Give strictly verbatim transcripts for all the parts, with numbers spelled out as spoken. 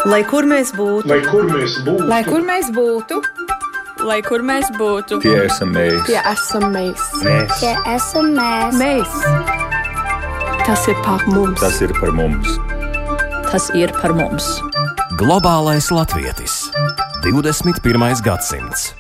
Lai kur mēs būtu, lai kur mēs būtu, lai kur mēs būtu, lai kur mēs būtu, tie esam mēs, tie esam mēs, mēs. Tie esam mēs. mēs. Tas ir par mums. Tas ir par mums. tas ir par mums. Globālais latvietis. divdesmit pirmais gadsimts.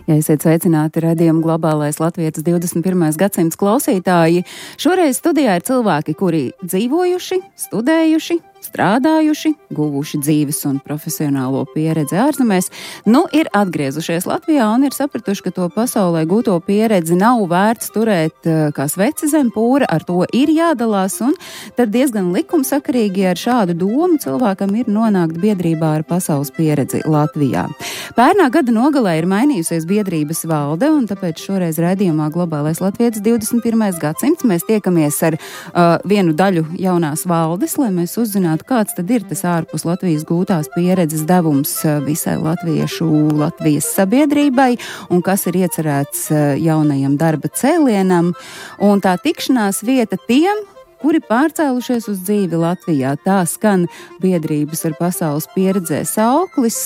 Ja esiet sveicināti raidījuma Globālais latvietis divdesmit pirmais gadsimts klausītāji, šoreiz studijā ir cilvēki, kuri dzīvojuši, studējuši, strādājuši, guvuši dzīves un profesionālo pieredzi ārzemēs, nu ir atgriezušies Latvijā un ir sapratuši, ka to pasaulē gūto pieredzi nav vērts turēt kā sveci zem pūra, ar to ir jādalās, un tad diezgan likumsakarīgi ar šādu domu cilvēkam ir nonākt biedrībā ar pasaules pieredzi Latvijā. Pērnā gada nogalē ir mainījusies biedrības valde, un tāpēc šoreiz raidījumā Globālais latvietis divdesmit pirmais gadsimts mēs tiekamies ar uh, vienu daļu jaunās valdes, lai mēs uzzinātu, kāds tad ir tas ārpus Latvijas gūtās pieredzes devums visai latviešu Latvijas sabiedrībai un kas ir iecerēts jaunajam darba cēlienam. Un tā tikšanās vieta tiem, kuri pārcēlušies uz dzīvi Latvijā. Tā skan biedrības ar pasaules pieredzē sauklis.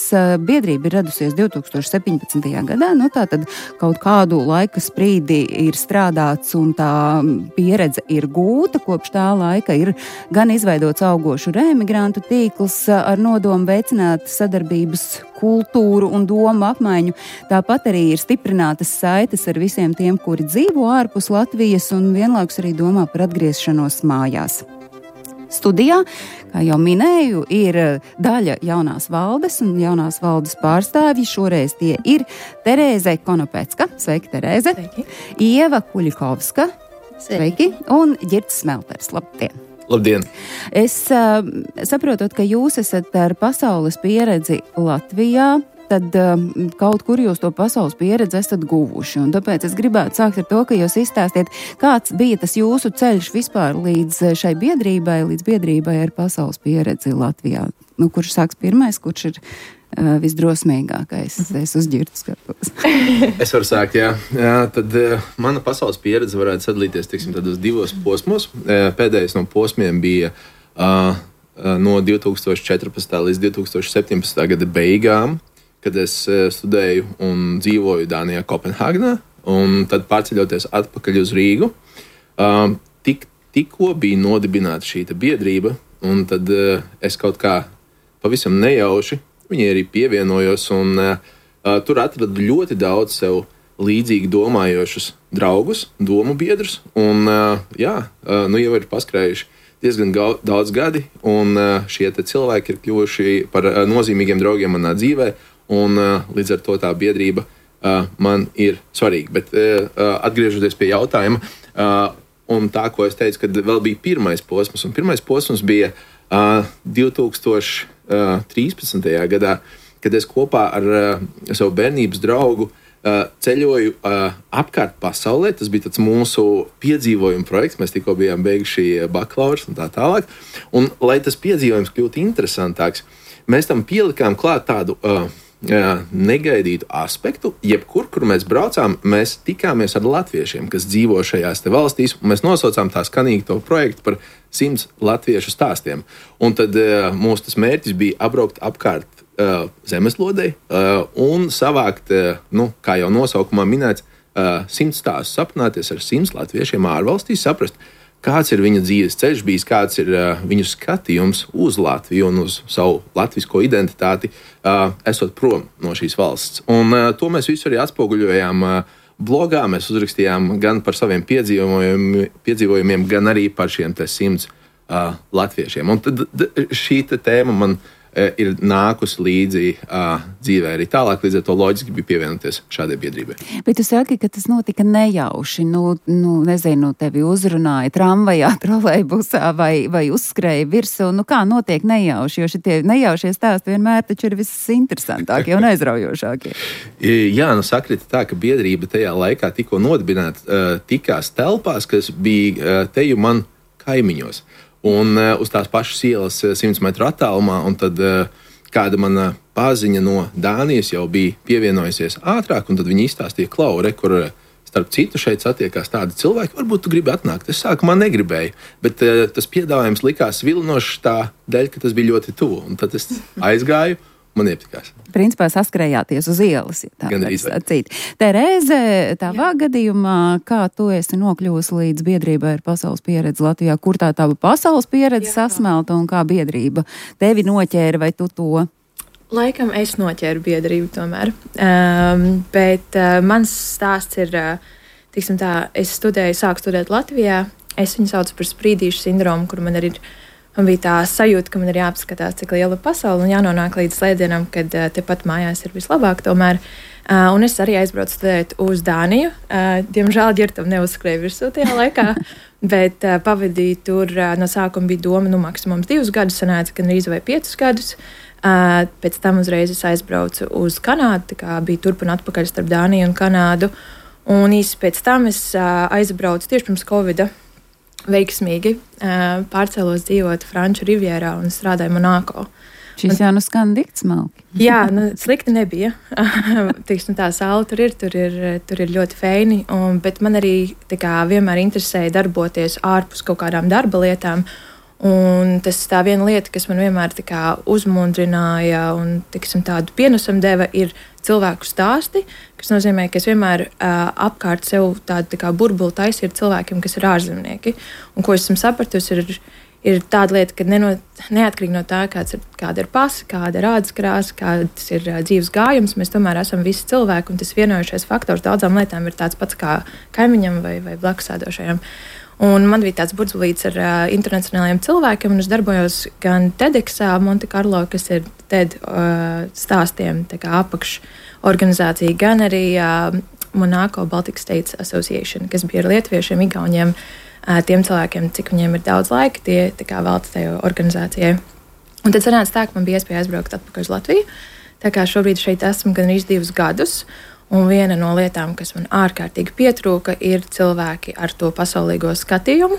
Biedrība ir radusies divi tūkstoši septiņpadsmitajā gadā, nu tā tad kaut kādu laika sprīdi ir strādāts un tā pieredze ir gūta. Kopš tā laika ir gan izveidots augošu reemigrantu tīkls ar nodomu veicināt sadarbības kultūru un domu apmaiņu. Tāpat arī ir stiprinātas saites ar visiem tiem, kuri dzīvo ārpus Latvijas un vienlaikus arī domā par atgriešanos mājās. Studijā, kā jau minēju, ir daļa jaunās valdes un jaunās valdes pārstāvji. Šoreiz tie ir Terēze Konopecka, sveiki Terēze, Sveiki. Ieva Kuļikovska, sveiki, un Ģirds Smelters, labdien! Labdien! Es uh, saprotot, ka jūs esat ar pasaules pieredzi Latvijā, tad uh, kaut kur jūs to pasaules pieredzi esat guvuši. Un tāpēc es gribētu sākt ar to, ka jūs izstāstiet, kāds bija tas jūsu ceļš vispār līdz šai biedrībai, līdz biedrībai ar pasaules pieredzi Latvijā. Nu, kurš sāks pirmais, kurš ir uh, visdrosmīgākais? Es uz Ģirdu skatos. Es varu sākt, jā. jā tad uh, mana pasaules pieredze varētu sadalīties, teiksim, tādos divos posmos. Uh, pēdējais no posmiem bija uh, uh, no divi tūkstoši četrpadsmitā līdz divi tūkstoši septiņpadsmitā gada beigām, kad es uh, studēju un dzīvoju Dānijā, Kopenhāgenā, un tad pārceļoties atpakaļ uz Rīgu. Uh, tik, tikko bija nodibināta šī biedrība, un tad uh, es kaut kā pavisam nejauši viņai arī pievienojos, un uh, uh, tur atradu ļoti daudz sev līdzīgi domājošus draugus, domu biedrus, un uh, jā, uh, nu jau ir paskrējuši diezgan gau, daudz gadi, un uh, šie te cilvēki ir kļuvuši par uh, nozīmīgiem draugiem manā dzīvē, un uh, līdz ar to tā biedrība uh, man ir svarīga. Bet uh, atgriežoties pie jautājuma, uh, un tā, ko es teicu, kad vēl bija pirmais posms, un pirmais posms bija uh, divi tūkstoši trīspadsmitajā gadā, kad es kopā ar uh, savu bērnības draugu uh, ceļoju uh, apkārt pasaulē. Tas bija tāds mūsu piedzīvojuma projekts, mēs tikko bijām beiguši bakalaurs un tā tālāk. Un, lai tas piedzīvojums kļūtu interesantāks, mēs tam pielikām klāt tādu uh, uh, negaidītu aspektu. Jebkur, kur mēs braucām, mēs tikāmies ar latviešiem, kas dzīvo šajās te valstīs, un mēs nosaucām tā skanīgi to projektu par simts latviešu stāstiem. Un tad uh, mūsu tas mērķis bija apbraukt apkārt uh, zemeslodei uh, un savākt, uh, nu, kā jau nosaukumā minēts, uh, simts stāstus, apmainīties ar simts latviešiem ārvalstīs, saprast, kāds ir viņa dzīves ceļš bijis, kāds ir uh, viņu skatījums uz Latviju un uz savu latvisko identitāti, uh, esot prom no šīs valsts. Un uh, to mēs visu arī atspoguļojām uh, blogā. Mēs uzrakstījām gan par saviem piedzīvojumiem, piedzīvojumiem gan arī par šiem te simts uh, latviešiem. Un tad d- šī te tēma man uh, ir nākusi līdzi uh, dzīvē arī tālāk, līdz ar to loģiski bija pievienoties šādai biedrībai. Bet tu saki, ka tas notika nejauši. Nu, nu nezinu, tevi uzrunāja tramvajā, trolejbusā vai, vai uzskrēja virsū. Nu, kā notiek nejauši? Jo šitie nejaušie stāsti vienmēr taču ir visinteresantākie un aizraujošākie. Jā, nu sakrita tā, ka biedrība tajā laikā tikko nodibināta uh, tikās telpās, kas bija uh, teju man kaimiņos. Un uh, uz tās pašas ielas uh, simts metru attālumā, un tad uh, kāda mana paziņa no Dānijas jau bija pievienojusies ātrāk, un tad viņi izstāstīja, Klau, re, kur starp citu, šeit satiekās tādi cilvēki, varbūt tu gribi atnākt. Es sākumā negribēju, bet uh, tas piedāvājums likās vilinošs tā dēļ, ka tas bija ļoti tuvu. Un tad es aizgāju, man iepatikās. Principā saskrējāties uz ielas, ja tā var sacīt. Terēze, tavā Jā. gadījumā, kā tu esi nokļuvusi līdz biedrībai ar pasaules pieredzi Latvijā? Kur tā tava pasaules pieredze Jā. sasmelta un kā biedrība tevi noķēra vai tu to? Laikam es noķēru biedrību tomēr, um, bet uh, mans stāsts ir, uh, tiksim tā, es studēju, sāku studēt Latvijā, es viņu saucu par sprīdīšu sindromu, kur man arī ir, man bija tā sajūta, ka man ir jāapskatās, cik liela pasaule un jānonāk līdz slēdzienam, kad uh, tepat mājās ir vislabāk tomēr, uh, un es arī aizbraucu studēt uz Dāniju, uh, diemžēl ģirtam neuzskrēja virsū tajā laikā, bet uh, pavadīju tur, uh, no sākuma bija doma, nu maksimums divus gadus, sanāca, gan rīzu vai piecus gadus. Uh, pēc tam uzreiz es aizbraucu uz Kanādu, tā kā bija turp un atpakaļ starp Dāniju un Kanādu. Un īsi pēc tam es uh, aizbraucu tieši pirms Covida veiksmīgi, uh, pārcēlos dzīvot Franču Rivierā un strādāju Monako. Šis jau nu skan dikts smalki. Jā, nu, slikti nebija. Tiksim, tā saule tur ir, tur ir, tur ir ļoti feini, un, bet man arī tā kā vienmēr interesēja darboties ārpus kaut kādām darba lietām. Un tas tā viena lieta, kas man vienmēr tā kā uzmundrināja un tiksim, tādu pienesumu deva, ir cilvēku stāsti, kas nozīmē, ka es vienmēr uh, apkārt sev tādu tā kā burbuli taisīju ar cilvēkiem, kas ir ārzemnieki. Un ko esmu sapratusi, ir, ir tāda lieta, ka neno, neatkarīgi no tā, kāds ir, kāda ir pasa, kāda ir ādas krāsa, kāds ir uh, dzīves gājums, mēs tomēr esam visi cilvēki, un tas vienojušais faktors daudzām lietām ir tāds pats kā kaimiņam vai, vai blakusēdošajam. Un man bija tāds burzulīts ar uh, internacionāliem cilvēkiem, un es darbojos gan TEDxā, Monte Carlo, kas ir TED uh, stāstiem apakšorganizācija, gan arī uh, Monako Baltic States Association, kas bija ar lietuviešiem, igauņiem, uh, tiem cilvēkiem, cik viņiem ir daudz laika, tie tā kā velta tajā organizācijai. Un tad sanāca tā, ka man bija iespēja aizbraukt atpakaļ uz Latviju, tā kā šobrīd šeit esmu gan arī divus gadus. Un viena no lietām, kas man ārkārtīgi pietrūka, ir cilvēki ar to pasaulīgo skatījumu.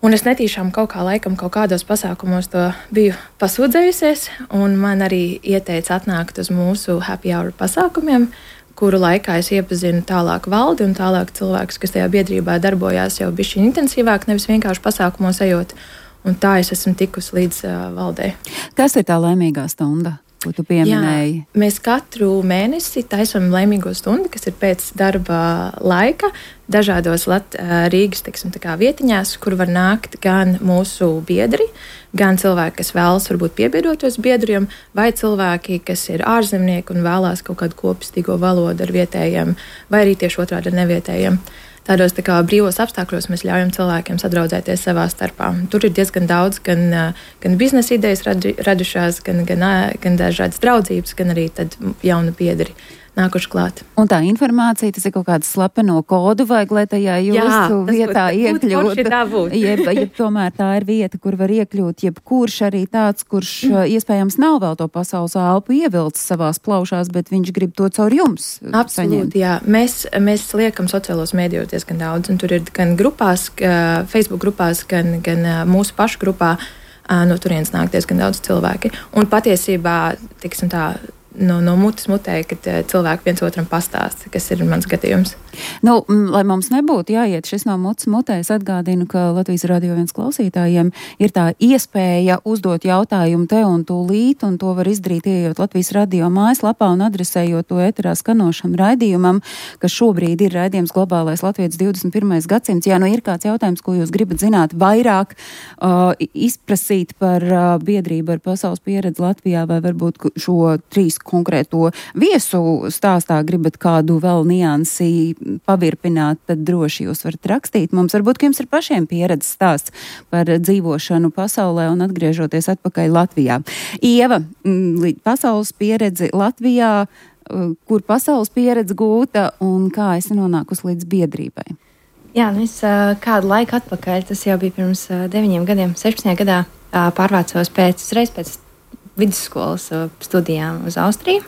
Un es netīšām kaut kā laikam kaut kādos pasākumos to biju pasūdzējusies, un man arī ieteica atnākt uz mūsu happy hour pasākumiem, kuru laikā es iepazinu tālāk valdi un tālāk cilvēkus, kas tajā biedrībā darbojās jau bišķi intensīvāk, nevis vienkārši pasākumos ejot. Un tā es esmu tikusi līdz uh, valdei. Kas ir tā laimīgā stunda, ko tu pieminēji? Jā, mēs katru mēnesi taisam laimīgo stundu, kas ir pēc darba laika, dažādos Lat, Rīgas tiksim, tā kā vietiņās, kur var nākt gan mūsu biedri, gan cilvēki, kas vēlas varbūt piebiedroties biedriem, vai cilvēki, kas ir ārzemnieki un vēlās kaut kādu kopstīgo valodu ar vietējiem, vai arī tieši otrādi ar nevietējiem. Tādos tā kā brīvos apstākļos mēs ļaujam cilvēkiem sadraudzēties savā starpā. Tur ir diezgan daudz gan, gan biznesa idejas radu, radušās, gan, gan, gan dažādas draudzības, gan arī tad jauni biedri nākuši klāt. Un tā informācija, tas ir kaut kāds slepeno kodu vajag, lai tajā jūsu vietā iekļūtu. Jeb, jeb tomēr tā ir vieta, kur var iekļūt jebkurš arī tāds, kurš mm. iespējams nav vēl to pasaules elpu ievilcis savās plaušās, bet viņš grib to caur jums Absolūti, saņemt. Jā. Mēs, mēs liekam sociālos mēdījos diezgan daudz, un tur ir gan grupās, Facebook grupās, gan, gan mūsu pašu grupā, no turienes nāk diezgan daudz cilvēki. Un patiesībā, tiksim tā, No, no mutes mutē, kad cilvēki viens otram pastāsta, kas ir mans gadījums. Nu, lai mums nebūtu jāiet šis no mutes mutē, es atgādinu, ka Latvijas Radio viens klausītājiem ir tā iespēja uzdot jautājumu te un tūlīt, un to var izdarīt, ieejot Latvijas Radio mājaslapā un adresējot to ēterā skanošam raidījumam, kas šobrīd ir raidījums Globālais Latvijas divdesmit pirmais gadsimts. Ja nu ir kāds jautājums, ko jūs gribat zināt vairāk, uh, izprasīt par uh, biedrību ar pasaules pieredzi Latvijā, vai varbūt šo trīs konkrēto viesu stāstā gribat kādu vēl niansi pavirpināt, tad droši jūs varat rakstīt. Mums varbūt, ka jums ir pašiem pieredzes stāsts par dzīvošanu pasaulē un atgriežoties atpakaļ Latvijā. Ieva, pasaules pieredzi Latvijā, kur pasaules pieredze gūta un kā esi nonākusi līdz biedrībai? Jā, nu es kādu laiku atpakaļ, tas jau bija pirms deviņiem gadiem, sešpadsmitajā gadā, pārvācos pēc, uzreiz pēc vidusskolas studijām uz Austriju,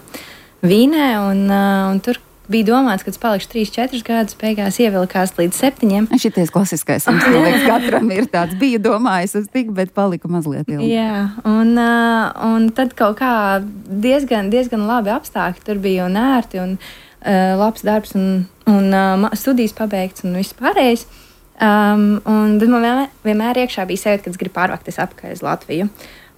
Vīnē, un, un tur bija domāts, ka es palikšu trīs, četrus gadus, beigās ievilkās līdz septiņiem. Šities klasiskais, mums liekas, katram ir tāds, bija domājis uz tik, bet palika mazliet ilgi. Jā, un, un tad kaut kā diezgan, diezgan labi apstākļi tur bija un ērti, un labs darbs un, un uh, studijas pabeigts un viss pārējais. Um, un, bet man vienmēr, vienmēr iekšā bija sajūta, ka es gribu pārvākties atpakaļ uz Latviju.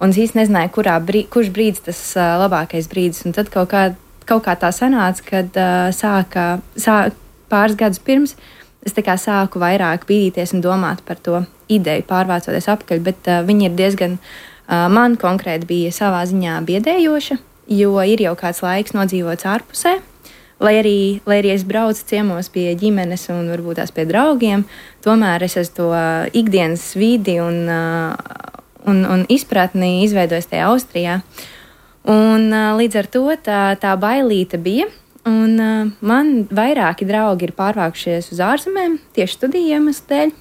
Un es īsti nezināju, kurā brī, kurš brīdis tas uh, labākais brīdis. Un tad kaut kā, kaut kā tā sanāca, kad uh, sāka, sāk, pāris gadus pirms es tā kā sāku vairāk bīdīties un domāt par to ideju, pārvācoties atpakaļ. Bet uh, viņi ir diezgan, uh, man konkrēti bija savā ziņā biedējoša, jo ir jau kāds laiks nodzīvots ārpusē. Lai arī, lai arī es braucu ciemos pie ģimenes un varbūt tās pie draugiem, tomēr es esmu to ikdienas vidi un, un, un izpratni izveidojis tajā Austrijā. Un, līdz ar to tā, tā bailīte bija. Un, man vairāki draugi ir pārvākušies uz ārzemēm tieši studiju iemeslu dēļ.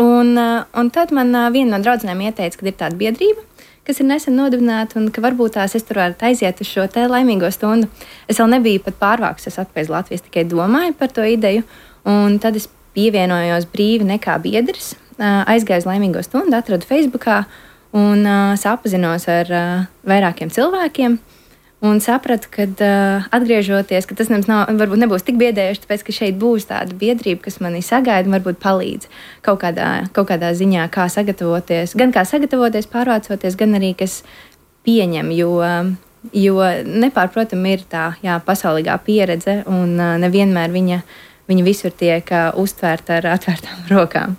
Un, un tad man viena no draudzenēm ieteica, ka ir tāda biedrība, kas ir nesen nodibināta, un ka varbūt tās es tur varētu aiziet uz šo te laimīgo stundu. Es vēl nebiju pat pārvākusies atpakaļ uz Latviju, es tikai domāju par to ideju, un tad es pievienojos brīvi nekā biedrs, aizgāju uz laimīgo stundu, atradu Facebookā un sapazinos ar vairākiem cilvēkiem, un sapratu, ka atgriežoties, ka tas nav, varbūt nebūs tik biedējuši, tāpēc, ka šeit būs tāda biedrība, kas mani sagaida un varbūt palīdz kaut kādā, kaut kādā ziņā, kā sagatavoties, gan kā sagatavoties, pārvācoties, gan arī, kas pieņem, jo, jo nepārprotam ir tā, jā, pasaulīgā pieredze un nevienmēr viņa Viņa visur tiek uh, uztvērta ar atvērtām rokām.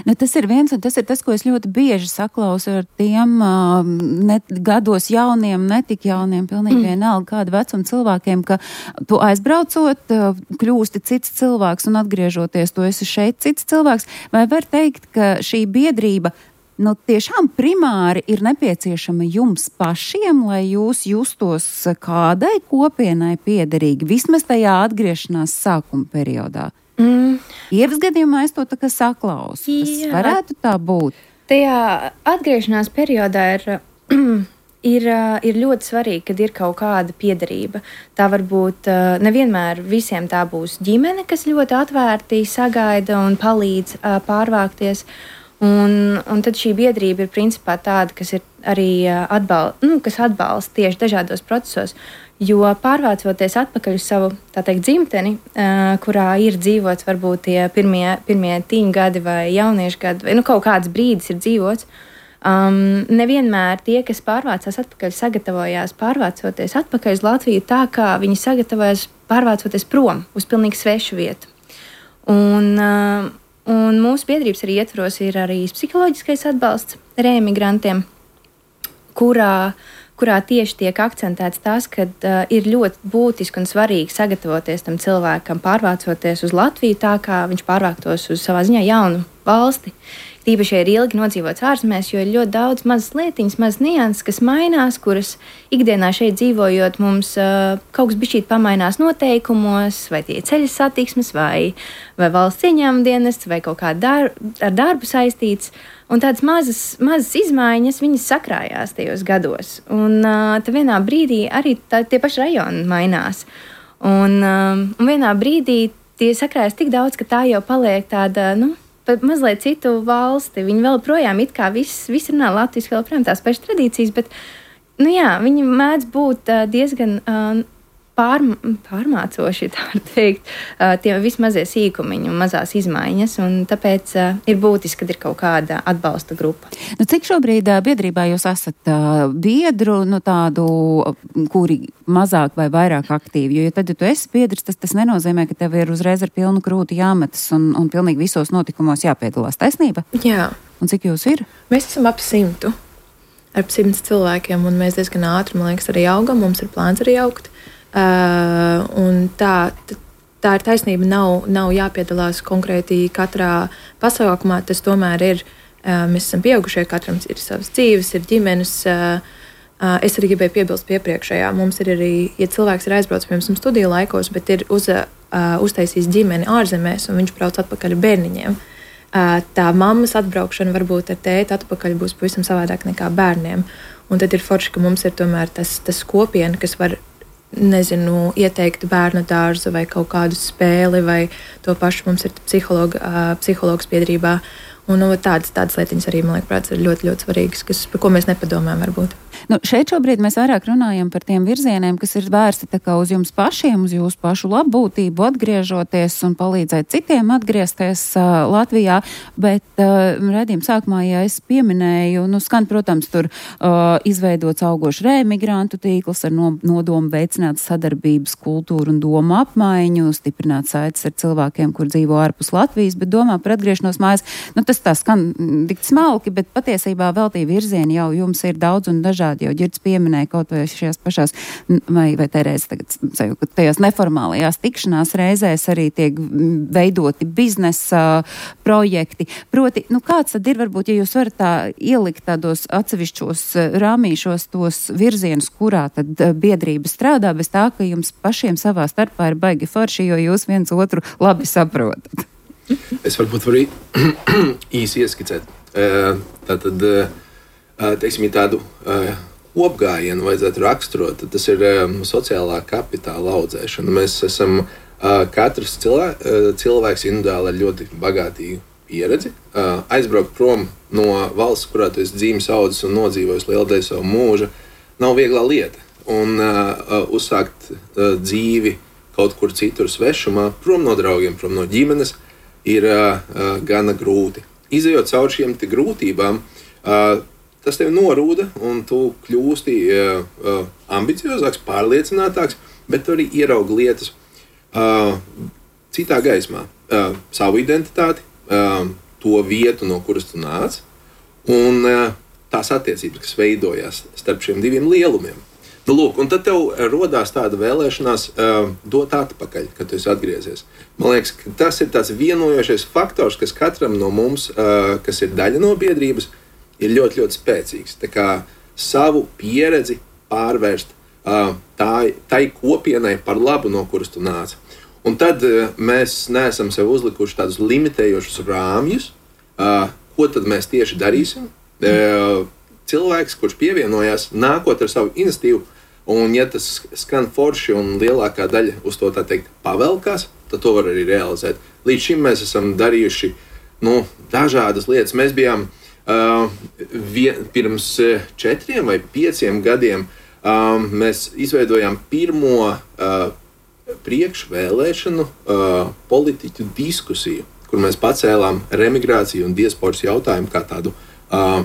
Nu, tas ir viens, un tas ir tas, ko es ļoti bieži saklausu ar tiem uh, ne, gados jauniem, netik jauniem, pilnīgi mm. vienalga kāda vecuma cilvēkiem, ka tu aizbraucot, uh, kļūsti cits cilvēks un atgriežoties, tu esi šeit cits cilvēks. Vai var teikt, ka šī biedrība nu, tiešām primāri ir nepieciešama jums pašiem, lai jūs justos kādai kopienai piederīgi, vismaz tajā atgriešanās sākuma periodā? Mm. Ievas gadījumā es to tā kā saklausu. Tas Jā. varētu tā būt. Tajā atgriešanās periodā ir, ir, ir ļoti svarīgi, kad ir kaut kāda piederība. Tā varbūt nevienmēr visiem tā būs ģimene, kas ļoti atvērti sagaida un palīdz pārvākties. Un, un tad šī biedrība ir principā tāda, kas ir arī atbal, nu, kas atbalsta tieši dažādos procesos. Jo pārvācoties atpakaļ uz savu tā teikt, dzimteni, uh, kurā ir dzīvots varbūt tie pirmie, pirmie tīņu gadi vai jauniešu gadi, vai nu, kaut kāds brīdis ir dzīvots, um, nevienmēr tie, kas pārvācās atpakaļ, sagatavojās pārvācoties atpakaļ uz Latviju tā, kā viņi sagatavojas pārvācoties prom uz pilnīgi svešu vietu. Un, uh, Un mūsu biedrības arī ietvaros ir arī psiholoģiskais atbalsts reemigrantiem, kurā, kurā tieši tiek akcentēts tas, ka uh, ir ļoti būtiski un svarīgi sagatavoties tam cilvēkam, pārvācoties uz Latviju tā, kā viņš pārvāktos uz savā ziņā jaunu valsti. Tīpaši ir ilgi nodzīvots ārzemēs, jo ir ļoti daudz mazas lietiņas, mazas nianses, kas mainās, kuras ikdienā šeit dzīvojot mums uh, kaut kas bišķīt pamainās noteikumos, vai tie ceļa satiksmes, vai, vai valsts ieņēmuma dienests, vai kaut kā dar, ar darbu saistīts. Un tādas mazas, mazas izmaiņas, viņas sakrājās tajos gados. Un uh, tad vienā brīdī arī tā, tie paši rajoni mainās. Un, um, un vienā brīdī tie sakrājas tik daudz, ka tā jau paliek tāda, nu, pat mazliet citu valsti. Viņi vēl projām it kā viss, viss runā latviski, vēl projām tās pašas tradīcijas, bet, nu jā, viņi mēdz būt uh, diezgan uh, pār, pārmācoši, tā var teikt, uh, tie vismazie sīkumiņi un mazās izmaiņas, un tāpēc uh, ir būtiski, kad ir kaut kāda atbalsta grupa. Nu, cik šobrīd uh, biedrībā jūs esat uh, biedru, nu tādu, kuri mazāk vai vairāk aktīvi, jo ja tad, ja tu esi biedrs, tas, tas nenozīmē, ka tev ir uzreiz ar pilnu krūti jāmetas un, un pilnīgi visos notikumos jāpiedalās. Taisnība? Jā. Un cik jūs ir? Mēs esam ap simtu, ar simts cilvēkiem, un mēs diezgan ātri, man liekas, arī augam, mums ir plāns arī augt. Uh, un tā, tā ir taisnība, nav, nav jāpiedalās konkrēti katrā pasaukumā, tas tomēr ir, uh, mēs esam pieaugušie, katram ir savas dzīves, ir ģimenes. Uh, uh, es arī gribēju piebilst piepriekšējā, mums ir arī, ja cilvēks ir aizbraucis, piemēram, studiju laikos, bet ir uz, uh, uztaisījis ģimeni ārzemēs, un viņš brauc atpakaļ ar bērniņiem. Uh, tā mammas atbraukšana varbūt ar tēti atpakaļ būs pavisam savādāk nekā bērniem. Un tad ir forši, ka mums ir tomēr tas, tas kopiena, kas var nezinu, ieteikt bērnu dārzu vai kaut kādu spēli, vai to pašu mums ir psihologa, uh, psihologs biedrībā. Un nu, tādas, tādas lietiņas arī, man liekas, ir ļoti, ļoti svarīgas, kas, par ko mēs nepadomājam varbūt. Nu, šeit šobrīd mēs vairāk runājam par tiem virzieniem, kas ir vērsti tā kā uz jums pašiem, uz jūsu pašu labbūtību, atgriežoties un palīdzēt citiem atgriezties uh, Latvijā, bet uh, redzījuma sākumā, ja es pieminēju, nu skan, protams, tur uh, izveidots augošs reemigrantu tīkls ar no, nodomu veicināt sadarbības kultūru un domu apmaiņu, stiprināt saites ar cilvēkiem, kur dzīvo ārpus Latvijas, bet domā par atgriešanos mājās. Nu, tas tā skan tik smalki, bet patiesībā vēl tie virzieni jau jums ir daudz un dažādi. Jau Ģirds pieminēja kaut vai šajās pašās, vai, vai Terēze tagad seju, ka tajās neformālajās tikšanās reizēs arī tiek veidoti biznesa projekti. Proti, nu kāds tad ir, varbūt, ja jūs varat tā ielikt tādos atsevišķos rāmīšos tos virzienus, kurā tad biedrība strādā, bez tā, ka jums pašiem savā starpā ir baigi forši, jo jūs viens otru labi saprotat. Es varbūt varu īsi ieskicēt. Tātad, teiksim, tādu kopgājienu vajadzētu raksturot, tad tas ir sociālā kapitāla audzēšana. Mēs esam katrs cilvēks, cilvēks individuāli ar ļoti bagātīgu pieredzi. Aizbraukt prom no valsts, kurā tu esi dzīves audzis un nodzīvojis lielu daļu savu mūžu, nav viegla lieta. Un uzsākt dzīvi kaut kur citur svešumā, prom no draugiem, prom no ģimenes, ir gana grūti. Izejot cauri šiem grūtībām, uh, tas tevi norūda, un tu kļūsti uh, uh, ambiciozāks, pārliecinātāks, bet tu arī ieraugi lietas uh, citā gaismā. Uh, savu identitāti, uh, to vietu, no kuras tu nāc, un uh, tās attiecības, kas veidojās starp šiem diviem lielumiem. Nu, lūk, un tad tev rodās tāda vēlēšanās uh, dot atpakaļ, kad tu esi atgriezies. Man liekas, ka tas ir tāds vienojošais faktors, kas katram no mums, uh, kas ir daļa no biedrības, ir ļoti, ļoti spēcīgs. Tā kā savu pieredzi pārvērst uh, tā, tai kopienai par labu, no kuras tu nāc. Un tad uh, mēs neesam sev uzlikuši tādus limitējošus rāmjus, uh, ko tad mēs tieši darīsim. Uh, cilvēks, kurš pievienojās, nākot ar savu iniciatīvu, un ja tas skan forši un lielākā daļa uz to tā teikt pavelkās, tad to var arī realizēt. Līdz šim mēs esam darījuši nu, dažādas lietas. Mēs bijām uh, vien, pirms četriem vai pieciem gadiem, um, mēs izveidojām pirmo uh, priekšvēlēšanu uh, politiķu diskusiju, kur mēs pacēlām remigrāciju un diasporas jautājumu kā tādu uh,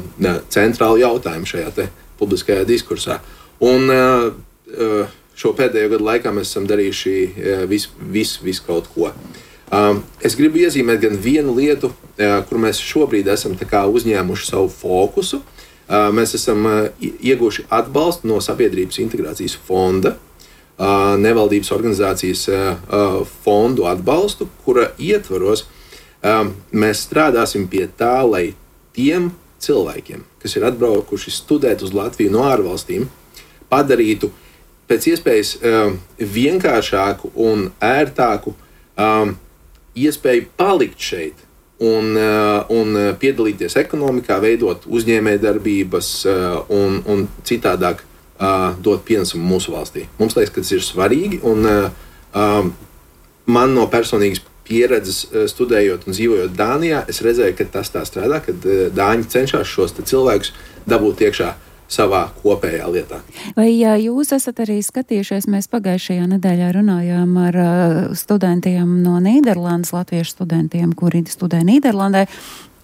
centrālu jautājumu šajā te publiskajā diskursā. Un uh, šo pēdējo gadu laikā mēs esam darījuši uh, visu vis, vis kaut ko. Uh, es gribu iezīmēt gan vienu lietu, uh, kur mēs šobrīd esam tā kā uzņēmuši savu fokusu. Uh, mēs esam uh, ieguvuši atbalstu no Sabiedrības integrācijas fonda, uh, nevaldības organizācijas uh, fondu atbalstu, kura ietvaros uh, mēs strādāsim pie tā, lai tiem cilvēkiem, kas ir atbraukuši studēt uz Latviju no ārvalstīm, padarītu pēc iespējas um, vienkāršāku un ērtāku um, iespēju palikt šeit un, uh, un piedalīties ekonomikā, veidot uzņēmējdarbības uh, un, un citādāk uh, dot pienesumu mūsu valstī. Mums liekas, ka tas ir svarīgi, un uh, um, man no personīgas pieredzes uh, studējot un dzīvojot Dānijā, es redzēju, ka tas tā strādā, kad uh, Dāņi cenšas šos cilvēkus dabūt iekšā savā kopējā lietā. Vai jā, jūs esat arī skatījušies, mēs pagājušajā nedēļā runājām ar uh, studentiem no Nīderlandes, latviešu studentiem, kuri studē Nīderlandē,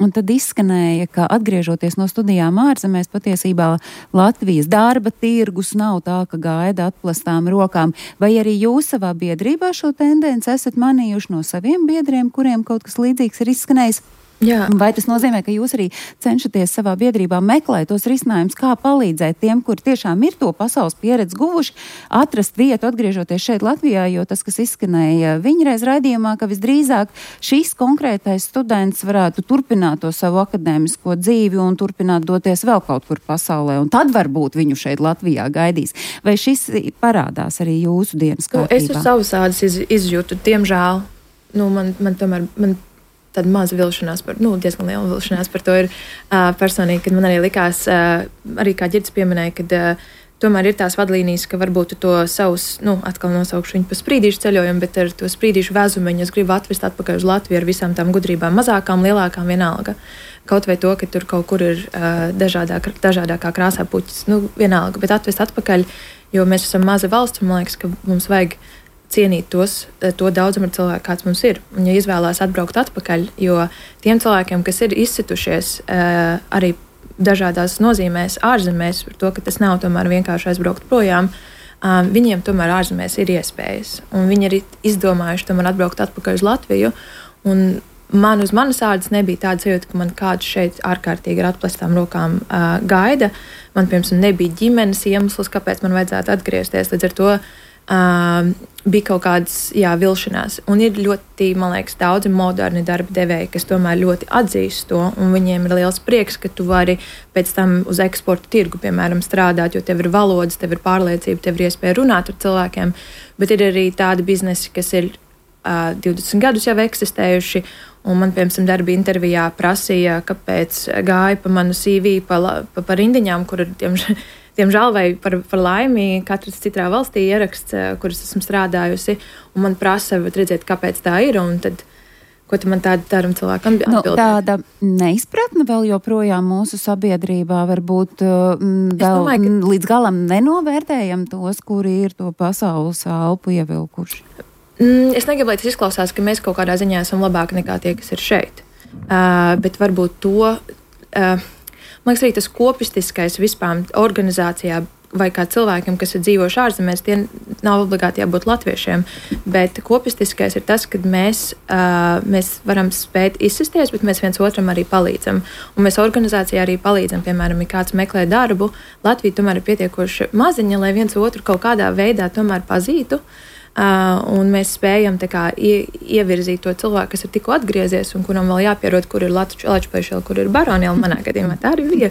un tad izskanēja, ka atgriežoties no studijām ārzemēs, patiesībā Latvijas darba tirgus nav tā, ka gaida atplastām rokām. Vai arī jūs savā biedrībā šo tendenci esat manījuši no saviem biedriem, kuriem kaut kas līdzīgs ir izskanējis? Jā. Vai tas nozīmē, ka jūs arī cenšaties savā biedrībā meklēt tos risinājumus, kā palīdzēt tiem, kuri tiešām ir to pasaules pieredzi guvuši, atrast vietu, atgriežoties šeit Latvijā, jo tas, kas izskanēja viņreiz raidījumā, ka visdrīzāk šīs konkrētais students varētu turpināt to savu akadēmisko dzīvi un turpināt doties vēl kaut kur pasaulē, un tad varbūt viņu šeit Latvijā gaidīs. Vai šis parādās arī jūsu dienas kārtībā? Nu, es uz savas ādas iz, izjūtu, diemžēl, nu, man, man tomēr, man tāda maza vilšanās, par, nu, diezgan liela vilšanās par to ir uh, personīgi, kad man arī likās, uh, arī kā Ģirds pieminēja, kad uh, tomēr ir tās vadlīnijas, ka varbūt to savus, nu, atkal nosaukšu viņu par sprīdīšu ceļojumu, bet ar to sprīdīšu vēzumeņu es gribu atvest atpakaļ uz Latviju ar visām tām gudrībām, mazākām, lielākām, vienalga. Kaut vai to, ka tur kaut kur ir uh, dažādāk, dažādākā krāsā puķis, nu, vienalga, bet atvest atpakaļ, jo mēs esam maza valsts, un man liekas, ka mums vajag cienīt tos, to daudzumu cilvēku, kāds mums ir. Un, ja izvēlās atbraukt atpakaļ, jo tiem cilvēkiem, kas ir izcitušies uh, arī dažādās nozīmēs ārzemēs, par to, ka tas nav tomēr vienkārši aizbraukt projām, um, viņiem tomēr ārzemēs ir iespējas. Un viņi arī izdomājuši tomēr atbraukt atpakaļ uz Latviju. Un man uz manas ādas nebija tāda sajūta, ka man kāds šeit ārkārtīgi ar atplestām rokām uh, gaida. Man, piemēram, nebija ģimenes iemesls, kāpēc man vajadzētu atgriezties. Līdz ar to Uh, bija kaut kādas jā, vilšanās. Un ir ļoti, man liekas, daudzi moderni darba devēji, kas tomēr ļoti atzīst to, un viņiem ir liels prieks, ka tu vari pēc tam uz eksporta tirgu, piemēram, strādāt, jo tev ir valodas, tev ir pārliecība, tev ir iespēja runāt ar cilvēkiem, bet ir arī tādi biznesi, kas ir uh, divdesmit gadus jau eksistējuši, un man, piemēram, darba intervijā prasīja, kāpēc gāja pa manu C V pa, pa, pa rindiņām, kur ir tiem Diemžēl vai par, par laimi katrs citā valstī ieraksts, kuras esmu strādājusi, un man prasa redzēt, kāpēc tā ir, un tad, ko man tāda daram cilvēkam atbildēt. Nu, tāda neizpratne vēl joprojām mūsu sabiedrībā varbūt mm, vēl domāju, ka... līdz galam nenovērtējam tos, kuri ir to pasaules elpu ievilkuši. Mm, es negribu, lai tas izklausās, ka mēs kaut kādā ziņā esam labāki nekā tie, kas ir šeit. Uh, bet varbūt to... Uh, Man liekas, arī tas kopistiskais vispār organizācijā vai kā cilvēkiem, kas ir dzīvojuši ārzemēs, tie nav obligāti jābūt latviešiem, bet kopistiskais ir tas, ka mēs, uh, mēs varam spēt izsisties, bet mēs viens otram arī palīdzam. Un mēs organizācijā arī palīdzam, piemēram, ja kāds meklē darbu, Latvija tomēr ir pietiekoši maziņa, lai viens otru kaut kādā veidā tomēr pazītu. Uh, un mēs spējam kā, ie, ievirzīt to cilvēku, kas ir tikko atgriezies un kuram vēl jāpierod, kur ir Latvijas, kur ir Baroniela. Manā gadījumā tā arī bija.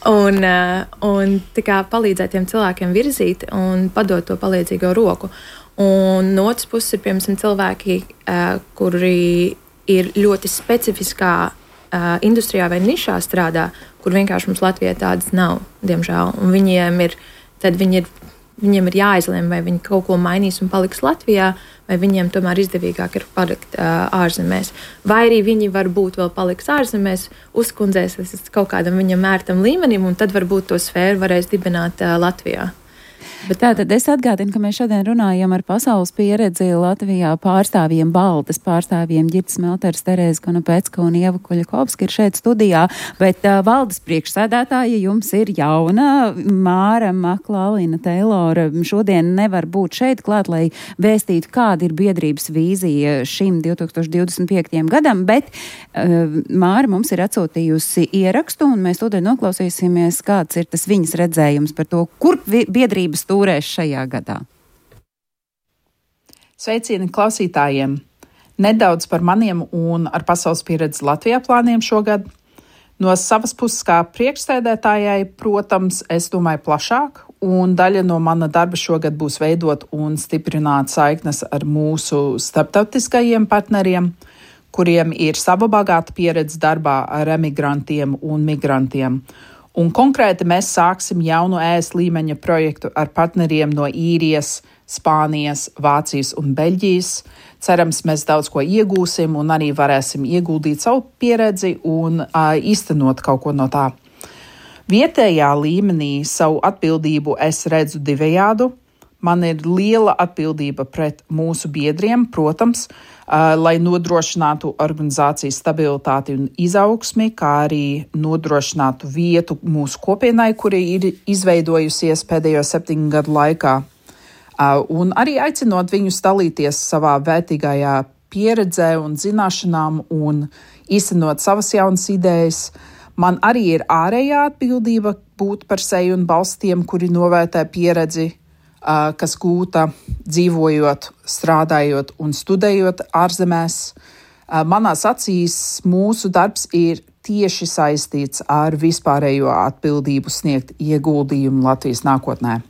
Un, uh, un kā, palīdzēt tiem cilvēkiem virzīt un padot to palīdzīgo roku. Un no otras puses ir, piemēram, cilvēki, uh, kuri ir ļoti specifiskā uh, industrijā vai nišā strādā, kur vienkārši mums Latvijā tādas nav, diemžēl. Un viņiem ir, tad viņi ir Viņiem ir jāizlem, vai viņi kaut ko mainīs un paliks Latvijā, vai viņiem tomēr izdevīgāk ir palikt uh, ārzemēs. Vai arī viņi varbūt vēl paliks ārzemēs, uzkundzēs kaut kādam viņam ērtam līmenim, un tad varbūt to sfēru varēs dibināt uh, Latvijā. Bet tātad es atgādinu, ka mēs šodien runājam ar pasaules pieredzi Latvijā pārstāvjiem, Baltas pārstāvjiem Ģirds Melters, Terēza Konopecka un Ieva Kuļakovska ir šeit studijā, bet uh, valdes priekšsēdētāja jums ir jauna, Māra Maklālina Teilora šodien nevar būt šeit klāt, lai vēstītu, kāda ir biedrības vīzija šim divtūkstoš divdesmit piektajam gadam, bet uh, Māra mums ir atsūtījusi ierakstu, un mēs tūdaļ noklausīsimies, kāds ir tas viņas redzējums par to, kur biedrības stūrēs šajā gadā. Sveicieni klausītājiem! Nedaudz par maniem un ar pasaules pieredzi Latvijā plāniem šogad. No savas puses kā priekšsēdētājai, protams, es domāju plašāk, un daļa no mana darba šogad būs veidot un stiprināt saiknes ar mūsu starptautiskajiem partneriem, kuriem ir sava bagāta pieredze darbā ar emigrantiem un migrantiem. Un konkrēti mēs sāksim jaunu E S līmeņa projektu ar partneriem no Īrijas, Spānijas, Vācijas un Beļģijas. Cerams, mēs daudz ko iegūsim un arī varēsim ieguldīt savu pieredzi un uh, īstenot kaut ko no tā. Vietējā līmenī savu atbildību es redzu divējādu. Man ir liela atbildība pret mūsu biedriem, protams, uh, lai nodrošinātu organizācijas stabilitāti un izaugsmi, kā arī nodrošinātu vietu mūsu kopienai, kuri ir izveidojusies pēdējo septiņu gadu laikā. Uh, un arī aicinot viņus dalīties savā vērtīgajā pieredzē un zināšanām un īstenot savas jaunas idejas. Man arī ir ārējā atbildība būt par seju un balstiem, kuri novērtē pieredzi, kas gūta dzīvojot, strādājot un studējot ārzemēs. Manās acīs mūsu darbs ir tieši saistīts ar vispārējo atbildību sniegt ieguldījumu Latvijas nākotnē.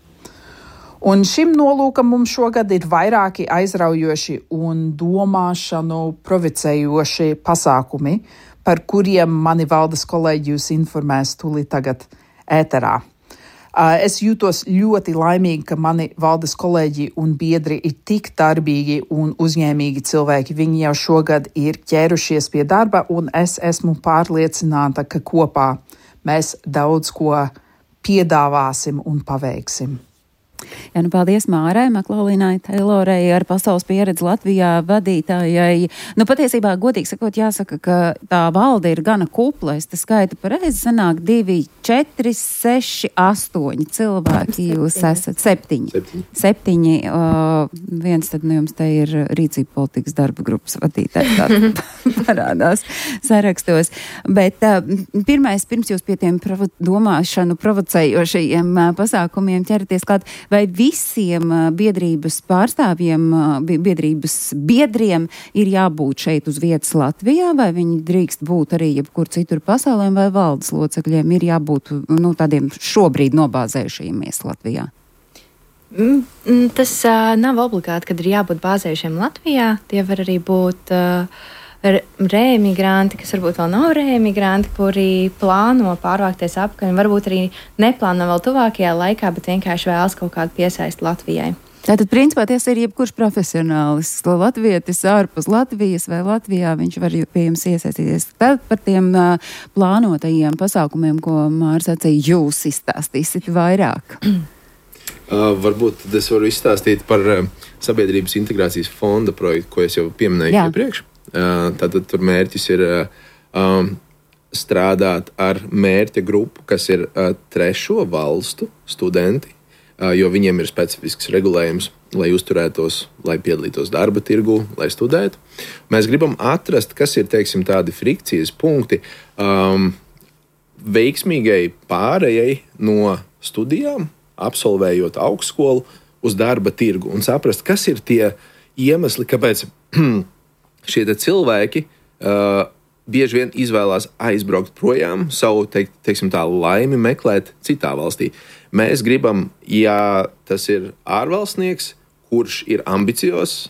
Un šim nolūkam mums šogad ir vairāki aizraujoši un domāšanu provocējoši pasākumi, par kuriem mani valdes kolēģi jūs informēs tūlīt tagad ēterā. Es jūtos ļoti laimīgi, ka mani valdes kolēģi un biedri ir tik darbīgi un uzņēmīgi cilvēki. Viņi jau šogad ir ķērušies pie darba, un es esmu pārliecināta, ka kopā mēs daudz ko piedāvāsim un paveiksim. Jā, nu paldies Mārai Maklaulinai Teilorai ar pasaules pieredzi Latvijā vadītājai. Nu patiesībā, godīgi sakot, jāsaka, ka tā valde ir gana kupla. Es te skaitu pareizi, sanāk divi, četri, seši, astoņi cilvēki. Jūs esat septiņi. Septiņi. Septiņi. Uh, viens tad nu jums te ir rīcība politikas darba grupas vadītājs. Tā parādās sarakstos. Bet uh, pirmais, pirms jūs pie tiem provo- domāšanu provocējošajiem uh, pasākumiem ķeraties klāt, vai visiem biedrības pārstāvjiem, biedrības biedriem ir jābūt šeit uz vietas Latvijā, vai viņi drīkst būt arī jebkur citur pasaulē, vai valdes locekļiem ir jābūt nu, tādiem šobrīd nobāzējušamies Latvijā? Tas uh, nav obligāti, kad ir jābūt bāzējušiem Latvijā. Tie var arī būt uh, reemigranti, kas varbūt vēl nav reemigranti, kuri plāno pārvākties apkaļ, varbūt arī neplāno vēl tuvākajā laikā, bet vienkārši vēlas kaut kādu piesaisti Latvijai. Tātad, principā, tas ir jebkurš profesionālis, latvietis ārpus Latvijas vai Latvijā, viņš var pie jums iesaistīties. Tad par tiem uh, plānotajiem pasākumiem, ko Mārs sacīja, jūs izstāstīsit vairāk. Uh, varbūt es varu izstāstīt par uh, Sabiedrības integrācijas fonda projektu, ko es jau pieminēju iepriekš. Uh, tātad tur mērķis ir uh, um, strādāt ar mērķa grupu, kas ir uh, trešo valstu studenti, uh, jo viņiem ir specifisks regulējums, lai uzturētos, lai piedalītos darba tirgu, lai studētu. Mēs gribam atrast, kas ir, teiksim, tādi frikcijas punkti um, veiksmīgai pārējai no studijām, absolvējot augstskolu uz darba tirgu un saprast, kas ir tie iemesli, kāpēc šie cilvēki uh, bieži vien izvēlās aizbraukt projām, savu teik, teiksim, tā, laimi meklēt citā valstī. Mēs gribam, ja tas ir ārvalstnieks, kurš ir ambiciozs,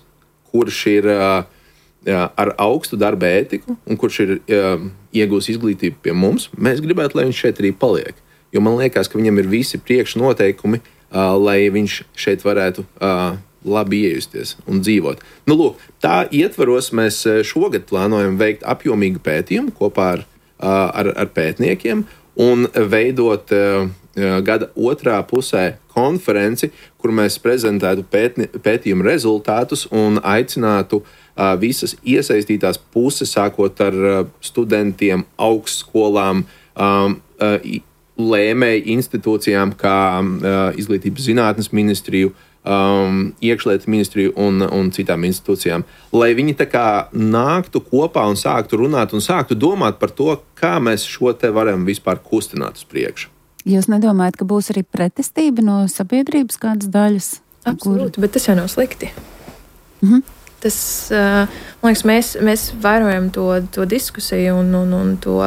kurš ir uh, jā, ar augstu darba ētiku un kurš ir uh, iegūs izglītību pie mums, mēs gribētu, lai viņš šeit arī paliek. Jo man liekas, ka viņam ir visi priekšnoteikumi, uh, lai viņš šeit varētu uh, labi iejusties un dzīvot. Nu, lūk, tā ietvaros mēs šogad plānojam veikt apjomīgu pētījumu kopā ar, ar, ar pētniekiem un veidot gada otrā pusē konferenci, kur mēs prezentētu pētni, pētījumu rezultātus un aicinātu visas iesaistītās puses, sākot ar studentiem, augstskolām, lēmēju institūcijām kā Izglītības zinātnes ministriju, Um, iekšlietu ministriju un, un citām institūcijām, lai viņi tā kā nāktu kopā un sāktu runāt un sāktu domāt par to, kā mēs šo te varam vispār kustināt uz priekšu. Jūs nedomājat, ka būs arī pretestība no sabiedrības kādas daļas? Absolūti, kur... bet tas jau nav slikti. Mhm. Tas, uh, man liekas, mēs, mēs vairojam to, to diskusiju un, un, un to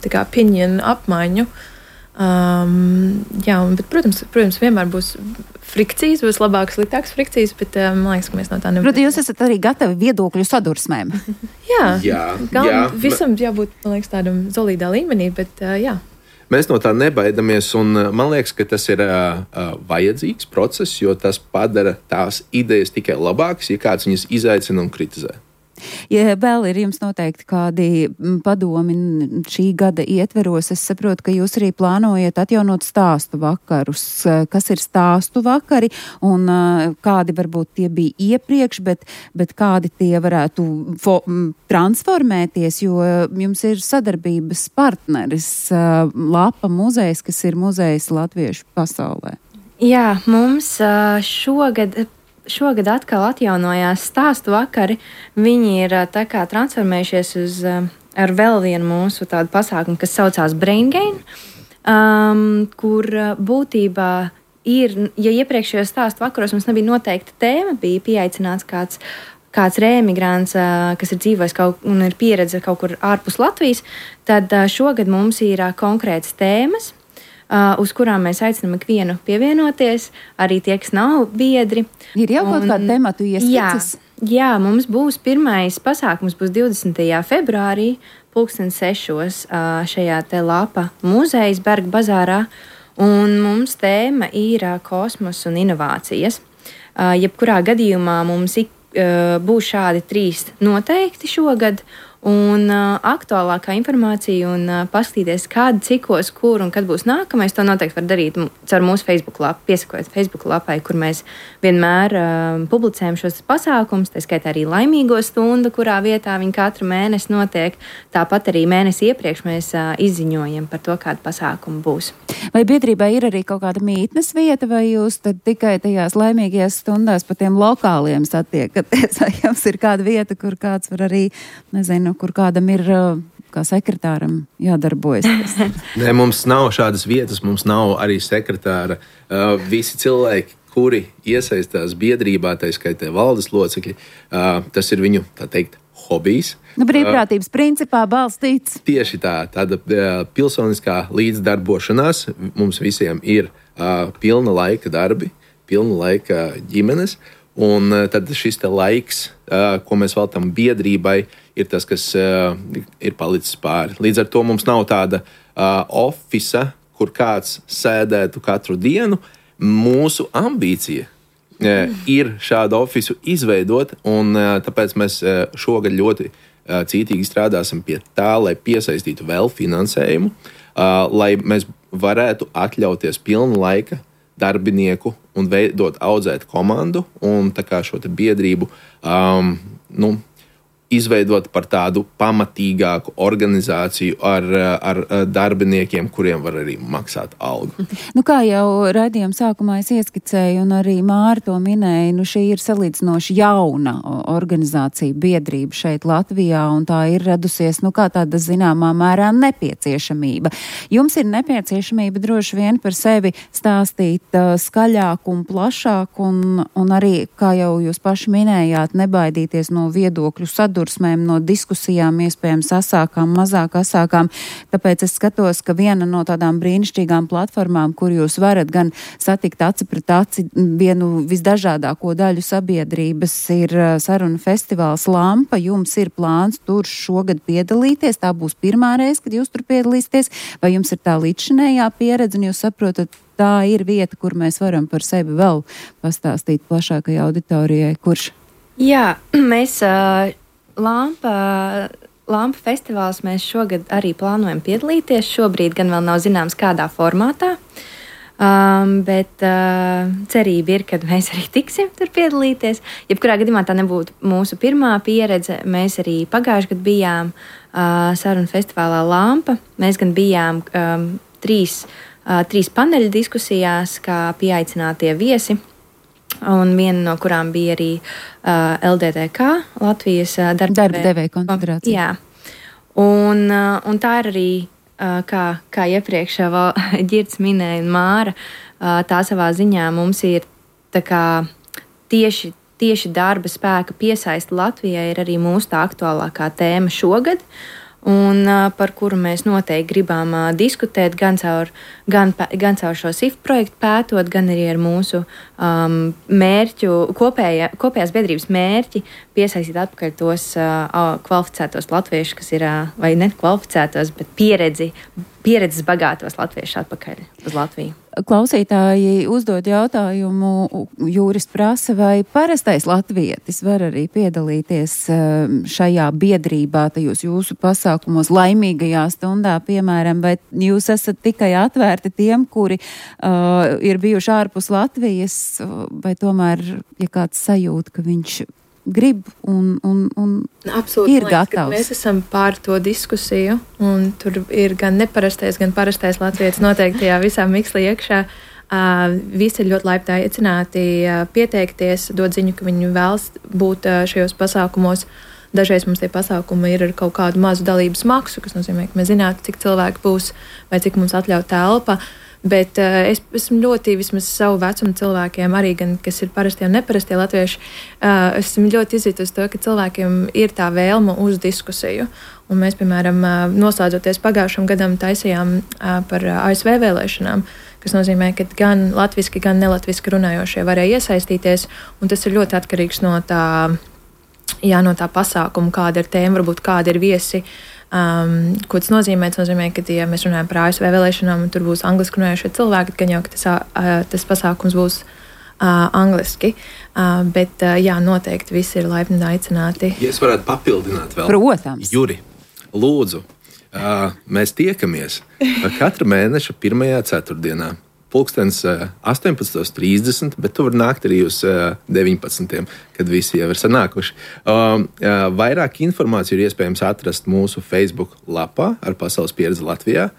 tā kā opinion apmaiņu. Um, jā, un, bet, protams, protams, vienmēr būs frikcijas, būs labākas, sliktākas frikcijas, bet um, man liekas, ka mēs no tā nevaram. Protams, jūs esat arī gatavi viedokļu sadursmēm. jā, jā, gal, jā, visam jābūt, man liekas, tādam solīdā līmenī, bet uh, jā. Mēs no tā nebaidamies, un man liekas, ka tas ir uh, uh, vajadzīgs process, jo tas padara tās idejas tikai labākas, ja kāds viņas izaicina un kritizē. Ja vēl ir jums noteikti kādi padomi šī gada ietveros, es saprotu, ka jūs arī plānojat atjaunot stāstu vakarus. Kas ir stāstu vakari un kādi varbūt tie bija iepriekš, bet, bet kādi tie varētu fo- transformēties, jo jums ir sadarbības partneris Lapa muzejs, kas ir muzejs latviešu pasaulē. Jā, mums šogad... Šogad atkal atjaunojās stāstu vakari. Viņi ir tā kā transformējušies uz ar vēl vienu mūsu tādu pasākumu, kas saucās Brain Gain, um, kur būtībā ir, ja iepriekšējos stāstu vakaros mums nebija noteikta tēma, bija pieaicināts kāds, kāds reemigrants, kas ir dzīvojis kaut, un ir pieredze kaut kur ārpus Latvijas, tad šogad mums ir konkrētas tēmas, Uh, uz kurām mēs aicinām ikvienu pievienoties, arī tie, kas nav biedri. Ir jau kaut kāda tematu iesaistītas? Jā, jā, mums būs pirmais pasākums, būs divdesmitajā februārī, pulksten sešos uh, šajā te Lapa muzejas Berga bazārā. Un mums tēma ir uh, kosmos un inovācijas. Uh, jebkurā gadījumā mums ik, uh, būs šādi trīs noteikti šogad. Un uh, aktuālākā informācija un uh, paskatīties, kāda, cikos, kur un kad būs nākamais, to noteikti var darīt caur mūsu Facebook lapu, piesakojot Facebook lapai, kur mēs vienmēr uh, publicējam šos pasākumus, tā skaitā arī laimīgo stundu, kurā vietā viņi katru mēnesi notiek. Tāpat arī mēnesi iepriekš mēs uh, izziņojam par to, kāda pasākuma būs. Vai biedrībā ir arī kaut kāda mītnes vieta, vai jūs tad tikai tajās laimīgajās stundās pa tiem lokāliem satiekaties, vai jums ir kāda vieta, kur kāds var arī, nezinu, kur kādam ir kā sekretāram jādarbojas? Nē, mums nav šādas vietas, mums nav arī sekretāra. Uh, visi cilvēki, kuri iesaistās biedrībā, tā skaitā valdes locekļi, uh, tas ir viņu, tā teikt, hobijs. Nu, brīvprātības uh, principā balstīts. Tieši tā, tāda uh, pilsoniskā līdzdarbošanās mums visiem ir uh, pilna laika darbi, pilna laika ģimenes. Un tad šis te laiks, uh, ko mēs veltam biedrībai, ir tas, kas uh, ir palicis pāri. Līdz ar to mums nav tāda uh, ofisa, kur kāds sēdētu katru dienu. Mūsu ambīcija uh, ir šādu ofisu izveidot, un uh, tāpēc mēs uh, šogad ļoti uh, cītīgi strādāsim pie tā, lai piesaistītu vēl finansējumu, uh, lai mēs varētu atļauties pilnu laika darbinieku un veidot, audzēt komandu un tā kā šo te biedrību um, nu, izveidot par tādu pamatīgāku organizāciju ar, ar darbiniekiem, kuriem var arī maksāt algu. Nu, kā jau raidījuma sākumā es ieskicēju, un arī Māra to minēja, nu, šī ir salīdzinoši jauna organizācija, biedrība šeit Latvijā, un tā ir radusies, nu, kā tāda zināmā mērā nepieciešamība. Jums ir nepieciešamība droši vien par sevi stāstīt uh, skaļāk un plašāk, un, un arī, kā jau jūs paši minējāt, nebaidīties no viedokļu sadursmēm, no diskusijām, iespējams asākām, mazāk asākām. Tāpēc es skatos, ka viena no tādām brīnišķīgām platformām, kur jūs varat gan satikt aci pret aci vienu visdažādāko daļu sabiedrības, ir saruna festivāls Lampa. Jums ir plāns tur šogad piedalīties. Tā būs pirmā reize, kad jūs tur piedalīsieties. Vai jums ir tā līdzšinējā pieredze, un jūs saprotat, tā ir vieta, kur mēs varam par sevi vēl pastāstīt plašākai auditorijai? Kurš? Jā, mēs... Uh... Lampa, Lampa festivāls mēs šogad arī plānojam piedalīties. Šobrīd gan vēl nav zināms, kādā formātā, um, bet uh, cerība ir, ka mēs arī tiksim tur piedalīties. Jebkurā gadījumā tā nebūtu mūsu pirmā pieredze. Mēs arī pagājušajā gadā bijām uh, sarunu festivālā Lampa. Mēs gan bijām um, trīs, uh, trīs paneļa diskusijās, kā pieaicinātie viesi. Un viena no kurām bija arī uh, L D T K, Latvijas uh, darba devēja konfederācija. Jā, un, uh, un tā ir arī, uh, kā, kā iepriekš Ģirds minēja un Māra, uh, tā savā ziņā mums ir tā kā tieši, tieši darba spēka piesaista Latvijai ir arī mūsu tā aktuālākā tēma šogad. Un uh, par kuru mēs noteikti gribam uh, diskutēt gan caur, gan, gan caur šo S I F projektu pētot, gan arī ar mūsu um, mērķu, kopējā, kopējās biedrības mērķi piesaistīt atpakaļ tos uh, kvalificētos latviešus, kas ir, uh, vai ne kvalificētos, bet pieredzi, pieredzes bagātos latviešus atpakaļ uz Latviju. Klausītāji uzdod jautājumu, Jūris prasa, vai parastais latvietis var arī piedalīties šajā biedrībā, tajos jūsu pasākumos, laimīgajā stundā, piemēram, vai jūs esat tikai atvērti tiem, kuri uh, ir bijuši ārpus Latvijas, vai tomēr, ja kāds sajūt, ka viņš grib un, un, un Absolūti, ir gatavs. Mēs esam pār to diskusiju, un tur ir gan neparastais, gan parastais latvietis noteikti tajā visā mikslī iekšā. Uh, visi ir ļoti laipni aicināti uh, pieteikties, dot ziņu, ka viņi vēlas būt uh, šajos pasākumos. Dažreiz mums tie pasākumi ir ar kaut kādu mazu dalības maksu, kas nozīmē, ka mēs zinātu, cik cilvēki būs vai cik mums atļauj telpa. Bet uh, es esmu ļoti, vismaz savu vecumu cilvēkiem, arī gan, kas ir parastie un neparastie latvieši, uh, esmu ļoti izjutusi to, ka cilvēkiem ir tā vēlme uz diskusiju. Un mēs, piemēram, uh, noslēdzoties pagājušam gadam, taisījām uh, par A S V vēlēšanām, kas nozīmē, ka gan latviski, gan nelatviski runājošie varēja iesaistīties, un tas ir ļoti atkarīgs no tā, jā, no tā pasākuma, kāda ir tēma, varbūt kāda ir viesi, Um, ko tas nozīmē? Tas nozīmē, ka, ja mēs runājam par A S V vēlēšanām, un tur būs angliski runājošie cilvēki, gan jau, ka tas, uh, tas pasākums būs uh, angliski. Uh, bet, uh, jā, noteikti visi ir laipni aicināti. Ja es varētu papildināt vēl. Protams. Juri, lūdzu, uh, mēs tiekamies katra mēneša pirmajā ceturtdienā. Pulkstens astoņpadsmit trīsdesmit, bet tu vari nākt arī uz deviņpadsmit, kad visi jau ir sanākuši. Uh, uh, vairāk informāciju ir iespējams atrast mūsu Facebook lapā ar Pasaules pieredzi Latvijā.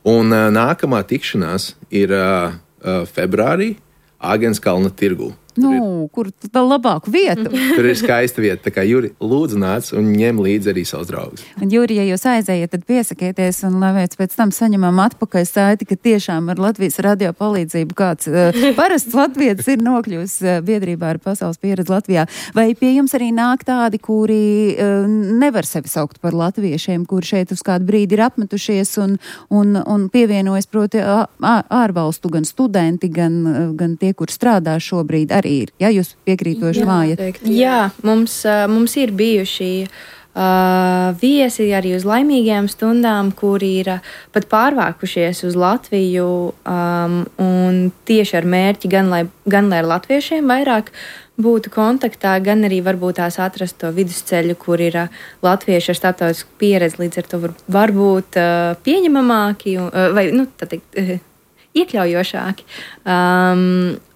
Un uh, nākamā tikšanās ir uh, uh, februārī Āgenskalna tirgū. Nu, kur vēl labāku vietu? Tur ir skaista vieta. Tā kā Juri, lūdzu nāc un ņem līdzi arī savus draugus. Un, Juri, ja jūs aizējiet, tad piesakieties un, lai mēs pēc tam saņemam atpakaļ saiti, ka tiešām ar Latvijas radio palīdzību kāds uh, parasts latvietis ir nokļūs uh, biedrībā ar Pasaules pieredzi Latvijā. Vai pie jums arī nāk tādi, kuri uh, nevar sevi saukt par latviešiem, kuri šeit uz kādu brīdi ir apmetušies un, un, un pievienojas, proti, ārvalstu gan studenti, gan, gan tie, kur strādā šobrīd arī ir. Ja jūs piekrītoši mājat? Jā, mums, mums ir bijuši uh, viesi arī uz laimīgajām stundām, kuri ir uh, pat pārvākušies uz Latviju um, un tieši ar mērķi gan lai, gan lai ar latviešiem vairāk būtu kontaktā, gan arī varbūt tās atrast to vidusceļu, kur ir uh, latvieši ar starptautisku pieredzi, līdz ar to var, varbūt uh, pieņemamāki uh, vai, nu, tā teikt, uh, iekļaujošāki. Um,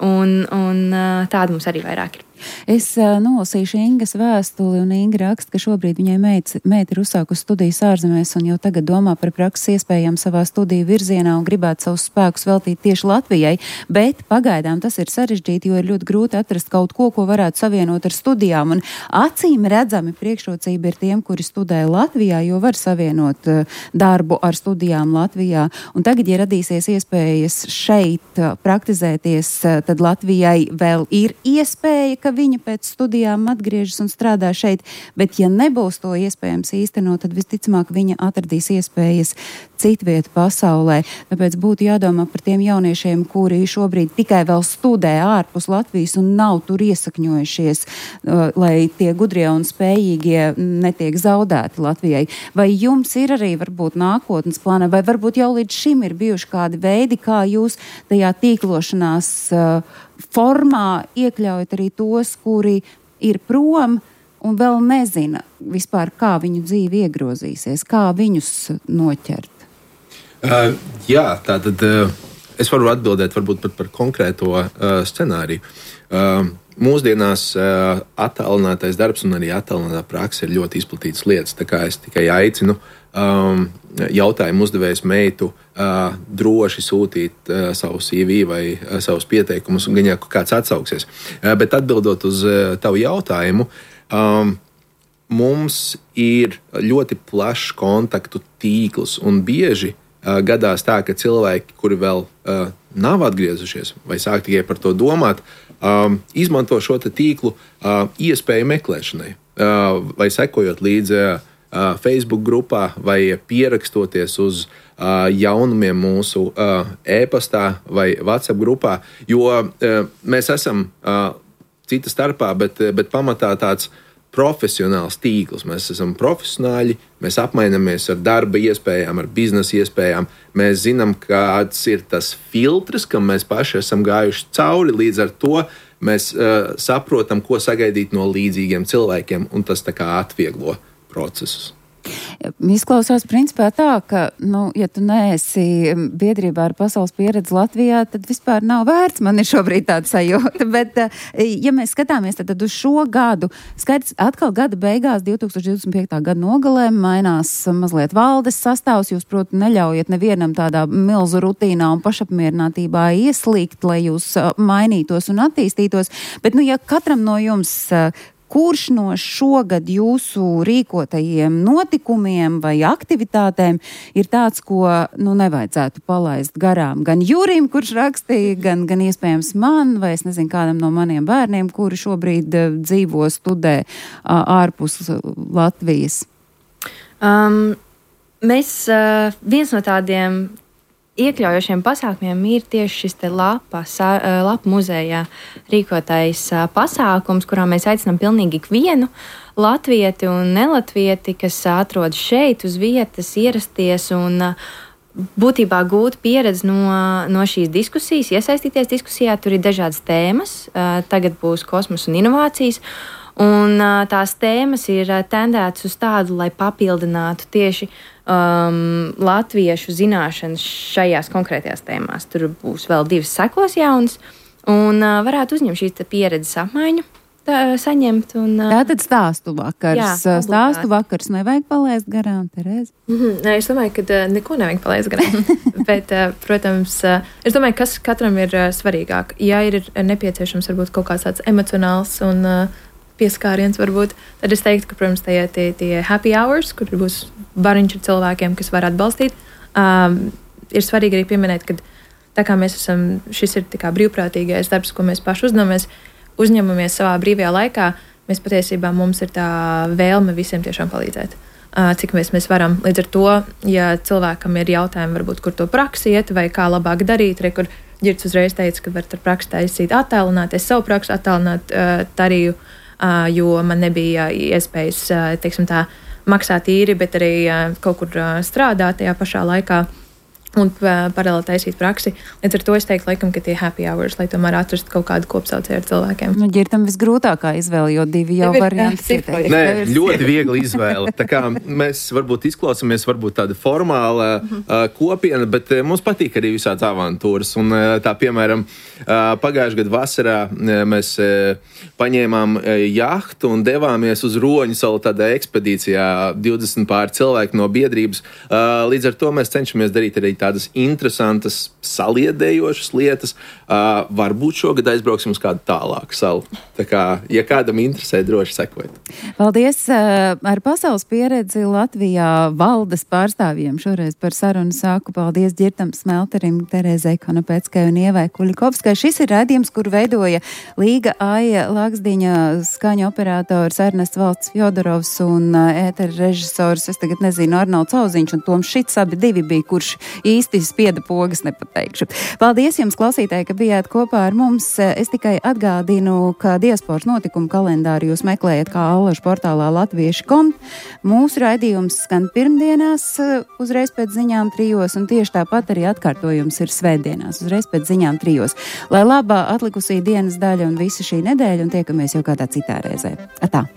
un, un uh, tāda mums arī vairāk ir. Es uh, nolasīšu Ingas vēstuli, un Inga raksta, ka šobrīd viņai meita, meita ir uzsākusi studijas ārzemēs un jau tagad domā par prakses iespējām savā studiju virzienā un gribētu savus spēkus veltīt tieši Latvijai, bet pagaidām tas ir sarežģīti, jo ir ļoti grūti atrast kaut ko, ko varētu savienot ar studijām, un acīm redzami priekšrocība ir tiem, kuri studē Latvijā, jo var savienot uh, darbu ar studijām Latvijā, un tagad, ja radīsies iespējas šeit uh, praktizēties, uh, tad Latvijai vēl ir iespēja, ka viņa pēc studijām atgriežas un strādā šeit, bet ja nebūs to iespējams īstenot, tad visticamāk viņa atradīs iespējas citvietu pasaulē. Tāpēc būtu jādomā par tiem jauniešiem, kuri šobrīd tikai vēl studē ārpus Latvijas un nav tur iesakņojušies, lai tie gudrie un spējīgie netiek zaudēti Latvijai. Vai jums ir arī varbūt nākotnes plāna, vai varbūt jau līdz šim ir bijuši kādi veidi, kā jūs tajā tīklošanās uh, formā iekļaujat arī tos, kuri ir prom un vēl nezina vispār, kā viņu dzīve iegrozīsies, kā viņus noķert? Uh, jā, tātad uh, es varu atbildēt varbūt pat par konkrēto uh, scenāriju. Uh, mūsdienās uh, attālinātais darbs un arī attālinātā prakse ir ļoti izplatītas lietas, tā kā es tikai aicinu um, jautājumu uzdevējs meitu uh, droši sūtīt uh, savu C V vai uh, savus pieteikumus, un gan jau kāds atsauksies. Uh, bet atbildot uz uh, tavu jautājumu, um, mums ir ļoti plašs kontaktu tīkls, un bieži uh, gadās tā, ka cilvēki, kuri vēl uh, nav atgriezušies vai sāk tikai par to domāt, um, izmanto šo tīklu uh, iespēju meklēšanai uh, vai sekojot līdzi uh, Facebook grupā vai pierakstoties uz uh, jaunumiem mūsu uh, e-pastā vai WhatsApp grupā, jo uh, mēs esam uh, cita starpā, bet, bet pamatā tāds profesionāls tīkls. Mēs esam profesionāļi, mēs apmainamies ar darba iespējām, ar biznesa iespējām. Mēs zinām, kāds ir tas filtrs, kam mēs paši esam gājuši cauri, līdz ar to mēs uh, saprotam, ko sagaidīt no līdzīgiem cilvēkiem, un tas tā kā atvieglo procesus. Izklausās principā tā, ka, nu, ja tu neesi biedrībā ar Pasaules pieredzi Latvijā, tad vispār nav vērts. Man ir šobrīd tāda sajūta, bet, ja mēs skatāmies tad, tad uz šo gadu, skaidrs, atkal gada beigās, divtūkstoš divdesmit piekta gada nogalē, mainās mazliet valdes sastāvs, jūs, proti, neļaujat nevienam tādā milzu rutīnā un pašapmierinātībā ieslīgt, lai jūs mainītos un attīstītos, bet, nu, ja katram no jums kurš no šogad jūsu rīkotajiem notikumiem vai aktivitātēm ir tāds, ko nu, nevajadzētu palaist garām? Gan Jurim, kurš rakstīja, gan, gan iespējams man, vai es nezinu, kādam no maniem bērniem, kuri šobrīd uh, dzīvo, studē uh, ārpus Latvijas? Um, mēs, uh, viens no tādiem iekļaujošiem pasākumiem ir tieši šis te lapa, sa, lapa muzejā rīkotais pasākums, kurā mēs aicinām pilnīgi ikvienu latvieti un nelatvieti, kas atrodas šeit uz vietas, ierasties un būtībā gūt pieredzi no, no šīs diskusijas, iesaistīties diskusijā. Tur ir dažādas tēmas. Tagad būs kosmos un inovācijas. Un tās tēmas ir tendētas uz tādu, lai papildinātu tieši um, latviešu zināšanas šajās konkrētajās tēmās. Tur būs vēl divas sekos jaunas, un uh, varētu uzņemt šīs pieredzes apmaiņu, tā, saņemt. Un, uh, Tātad stāstu vakars. Jā, obligāti. Stāstu vakars nevajag palaist garām, Terēze? Mm-hmm. Nē, es domāju, ka uh, neko nevajag palaist garām. Bet, uh, protams, uh, es domāju, kas katram ir uh, svarīgāk. Ja ir nepieciešams varbūt kaut kāds tāds emocionāls un uh, pieskāriens varbūt, tad es teiktu, ka, protams, tie, tie, tie happy hours, kur būs bariņš ar cilvēkiem, kas var atbalstīt, um, ir svarīgi arī pieminēt, ka tā kā mēs esam, šis ir tā kā brīvprātīgais darbs, ko mēs paši uzņemamies, uzņemamies savā brīvajā laikā, mēs patiesībā mums ir tā vēlme visiem tiešām palīdzēt. Uh, cik mēs, mēs varam. Līdz ar to, ja cilvēkam ir jautājumi, varbūt, kur to praksi iet vai kā labāk darīt, re, kur Ģirds uzreiz teica, ka var ar praksi taisīt attēlināties, savu praksi attēlināt uh, tarīju, Uh, jo man nebija iespējas, uh, teiksim tā, maksāt īri, bet arī uh, kaut kur uh, strādāt tajā pašā laikā un uh, paralēli taisīt praksi. Līdz ar to es teiktu, laikam, ka tie happy hours, lai tomēr atrastu kaut kādu kopsaucēju ar cilvēkiem. Nu, Ģirtam visgrūtākā izvēle, jo divi jau varianti. Nē, ļoti viegli izvēle. Tā kā mēs varbūt izklausāmies, varbūt tāda formāla uh, kopiena, bet uh, mums patīk arī visāds avantūras. Un uh, tā, piemēram, uh, pagājušajā gadu vasarā uh, mēs uh, paņēmām uh, jahtu un devāmies uz Roņu salu tādā ekspedīcijā, divdesmit pār cilvēku no biedrības. Uh, līdz ar to mēs cenšamies darīt arī tādas interesantas, saliedējošas lietas. Uh, varbūt šogad aizbrauksim uz kādu tālāku salu. Tā kā, ja kādam interesē, droši sekojiet. Paldies uh, ar pasaules pieredzi Latvijā valdes pārstāvjiem. Šoreiz par sarunu sāku. Paldies Ģirtam Smelterim, Terēzei Konopeckai un Ievai Kuļikovskai. Šis ir raidījums, kur veidoja Līga Aija Laksdiņa, skaņu operators Ernests Valsts Fjodorovs un uh, ētera režisors, es tagad nezinu, Arnolds Auziņš un Toms Šits, abi divi bija, kurš īsti spieda pogas, nepateikšu. Paldies jums, klausītāji, ka bijāt kopā ar mums. Es tikai atgādinu, ka diasporas notikumu kalendāru jūs meklējat kā allažu portālā latvieši punkt com. Mūsu raidījums skan pirmdienās uzreiz pēc ziņām trijos, un tieši tāpat arī atkārtojums ir svētdienās uzreiz pēc ziņām trijos. Lai labā atlikusī dienas daļa un visa šī nedēļa, un tiekamies jau kādā citā reizē. Atā!